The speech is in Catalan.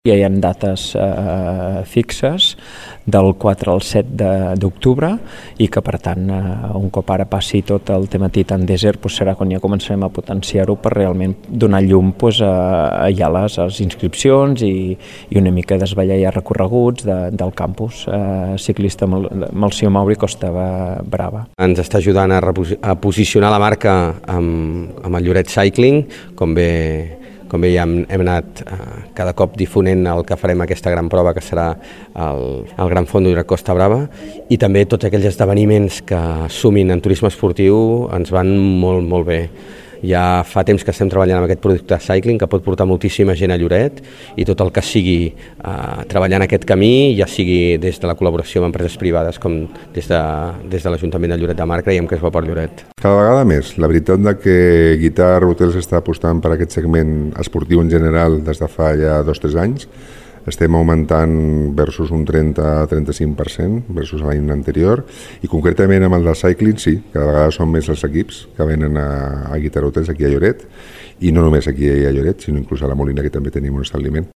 Ja hi ha dates fixes del 4 al 7 d'octubre i que, per tant, un cop ara passi tot el tema Titan Desert, serà quan ja començarem a potenciar-ho per realment donar llum ja a les inscripcions i una mica desvetllar ja recorreguts del campus ciclista amb el senyor Mauri Costa Brava. Ens està ajudant a posicionar la marca amb el Lloret Cycling, com bé ja hem anat cada cop difonent el que farem aquesta gran prova, que serà el Gran Fondo Lloret Costa Brava, i també tots aquells esdeveniments que sumin en turisme esportiu ens van molt, molt bé. Ja fa temps que estem treballant amb aquest producte cycling que pot portar moltíssima gent a Lloret, i tot el que sigui treballar en aquest camí, ja sigui des de la col·laboració amb empreses privades com des de l'Ajuntament de Lloret de Mar, creiem que és bo per Lloret. Cada vegada més. La veritat que Guitar Hotels està apostant per aquest segment esportiu en general des de fa ja 2-3 anys. Estem augmentant versus un 30-35% versus l'any anterior, i concretament amb el del cycling sí, cada vegada són més els equips que venen a Guitar Hotels aquí a Lloret, i no només aquí a Lloret, sinó inclús a la Molina, que també tenim un establiment.